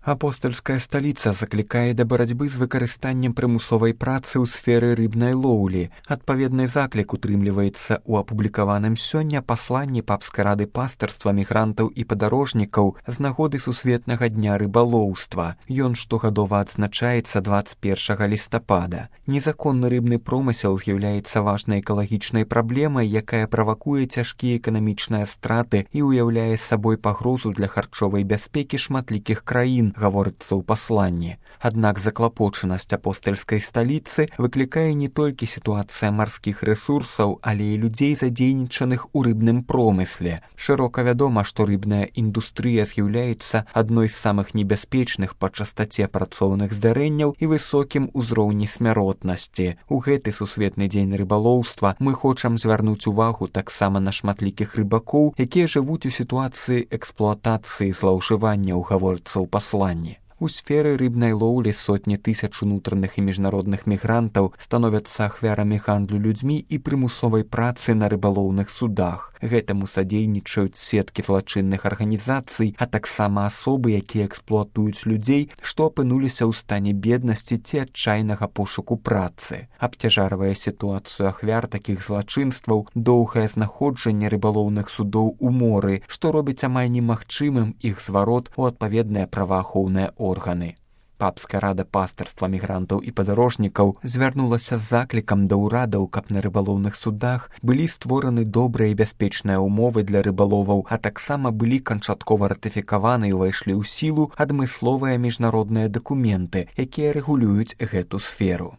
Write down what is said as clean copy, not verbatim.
Апостальская сталіца заклікае да барацьбы з выкарыстаннем прымусовай працы ў сферы рыбнай лоўлі. Адпаведны заклік утрымліваецца ў апублікаваным сёння пасланні папскай рады пастырства мігрантаў і падарожнікаў з нагоды сусветнага дня рыбалоўства. Ён штогадова адзначаецца 21 лістапада. Незаконны рыбны промысел з'яўляецца важнай экалагічнай праблемай, якая правакуе цяжкія эканамічныя страты і ўяўляе сабой пагрозу для харчовай бяспекі шматлікіх краін, гаворыцца ў пасланні. Аднак заклапочанасць апостальскай сталіцы выклікае не толькі сітуацыя марскіх рэсурсаў, але і людзей, задзейнічаных у рыбным промысле. Шырока вядома, што рыбная індустрыя з'яўляецца адной з самых небяспечных па частаце працоўных здарэнняў і высокім узроўні смяротнасці. У гэты сусветны дзень рыбалоўства мы хочам звярнуць увагу таксама на шматлікіх рыбакоў, якія жывуць у сітуацыі эксплуатацыі злоўжыванняў, гаворыцца ў пасланні. У сферы рыбнай лоўлі сотні тысяч унутраных і міжнародных мігрантаў становяцца ахвярамі гандлю людзьмі і прымусовай працы на рыбалоўных судах. Гэтаму садзейнічаюць сеткі злачынных арганізацый, а таксама асобы, якія эксплуатуюць людзей, што апынуліся ў стане беднасці ці адчайнага пошуку працы. Абцяжарвае сітуацыю ахвяр такіх злачынстваў доўгае знаходжанне рыбалоўных судоў у моры, што робіць амаль немагчымым іх зварот у адпаведныя праваахоўныя органы. Папская рада пастырства мігрантаў і падарожнікаў звярнулася з заклікам да ўрадаў, каб на рыбалоўных судах былі створаны добрыя і бяспечныя ўмовы для рыбаловаў, а таксама былі канчаткова ратыфікаваны і ўвайшлі ў сілу адмысловыя міжнародныя дакументы, якія рэгулююць гэту сферу.